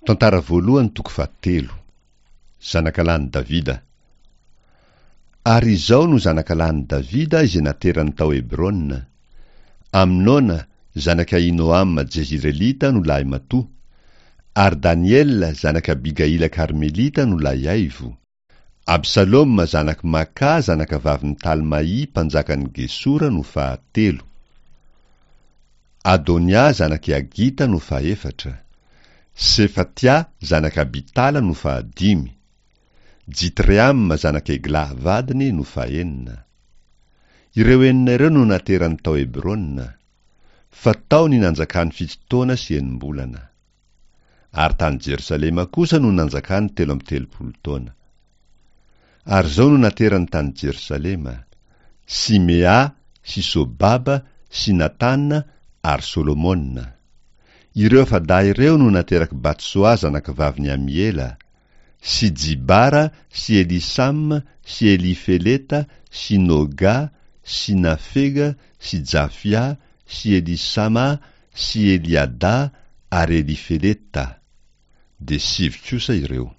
Tantara voalohany toko fahatelo. Zanakalahin'i Davida. Ary izao no zanakalahin'i Davida izay naterany tao Hebrona, Amnona, zanak'i Ahinoama Jezirelita no lahimatoa, ary Daniela, zanak'i Abigaila Karmelita no lahiaivo, Absaloma zanak'i Maka zanakavavin'i Talmaì mpanjakan'i Gesora no fahatelo. Adonia zanak'i Hagita no fahefatra. Sefatia zanak'i Abitala no fahadimy. Jitreama zanak'i Eglà vadiny no fahenina. Ireo enina ireo no naterany tao Hebrona, fa tao ny nanjakany fito taona sy enim-bolana. Ary tany Jerosalema kosa no nanjakany 33 taona. Ary izao no naterany tany Jerosalema, Simea sy Sobaba sy Natana ary Solomona. Ireo afa-dahy ireo no naterak'i Batsoa zanakavavin'i Amiela, sy Jibara sy Elisama sy Elifeleta sy Noga sy Nafega sy Jafia sy Elisama sy Eliada ary Elifeleta, dia sivy kosa ireo.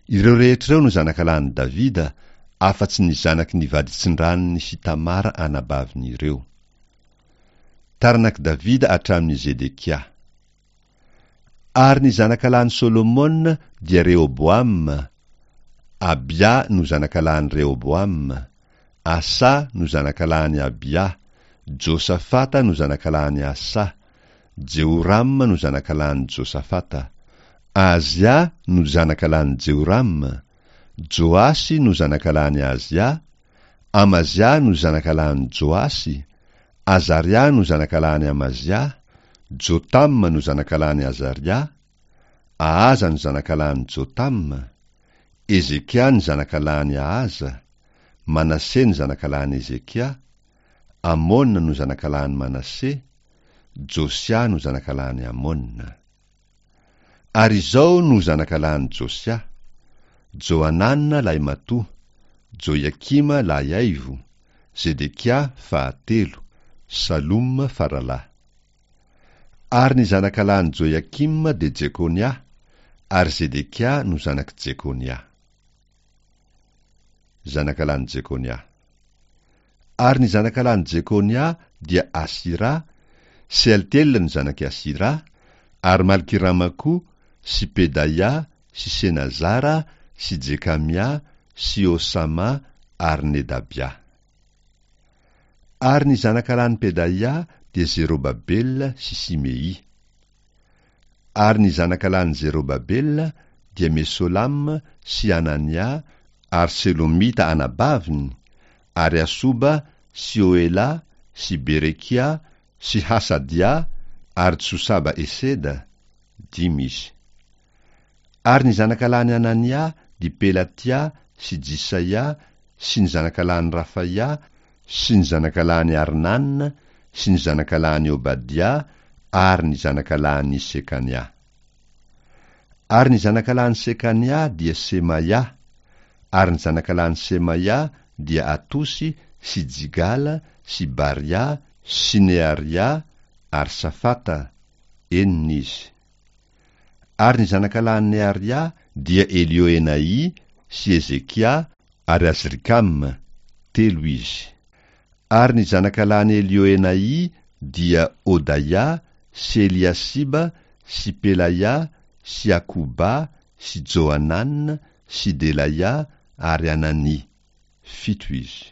Ireo rehetra ireo no zanakalahin'i Davida, afa-tsy ny zanaky ny vaditsindranony sy Tamara anabaviny ireo. Taranak'i Davida hatramin'i Zedekia. Ary ny zanakalahin'i Solomona dia Rehoboama, Abia no zanakalahin'i Rehoboama, Asa no zanakalahin'i Abia, Josafata no zanakalahin'i Asa, Jehorama no zanakalahin'i Josafata, Ahazia no zanakalahin'i Jehorama, Joasy no zanakalahin'i Ahazia, Amazia no zanakalahin'i Joasy, Azaria no zanakalahin'i Amazia, Jotama no zanakalahin'i Azaria, Ahaza no zanakalahin'i Jotama, Hezekia no zanakalahin'i Ahaza, Manase no zanakalahin'i Hezekia, Amona no zanakalahin'i Manase, Josia no zanakalahin'i Amona. Ary izao no zanakalahin'i Josia, Johanana lahimatoa, Joiakima lahiaivo, Zedekia fahatelo, Saloma faralahy. Ary ny zanakalahin'i Joiakima dia Jekonia, ary Zedekia no zanak'i Jekonia. Zanakalahin'i Jekonia. Ary ny zanakalahin'i Jekonia dia Asira, Sealtiela no zanak'i Asira, ary Malkirama koa, sy Pedaia, sy Senazara, sy Jekamia, sy Osama, ary Nedabia. Ary ny zanakalahin'i Pedaia dia Zerobabela sy Simei. Ary ny zanakalahin'i Zerobabela dia Mesolama sy Anania ary Selomita anabaviny, ary Asoba sy Oela sy Berekia sy Hasadia ary Josaba Eseda, dimy izy. Ary ny zanakalahin'i Anania dia Pelatia sy Jisaia sy ny zanakalahin'i Rafaia sy ny zanakalahin'i Arnana sy ny zanakalahin'i Obadia ary ny zanakalahin'i Sekania. Ary ny zanakalahin'i Sekania dia Semaia, ary ny zanakalahin'i Semaia dia Atosy sy Jigala sy Baria sy Nearia ary Safata, enina izy. Ary ny zanakalahin'i Nearia dia Elioenai sy Hezekia ary Azrikama, telo izy. Ary ny zanakalahin'i Elioenai dia Hodaia sy Eliasiba sy Pelaia sy Akoba sy Johanana sy Delaia ary Anania, fito izy.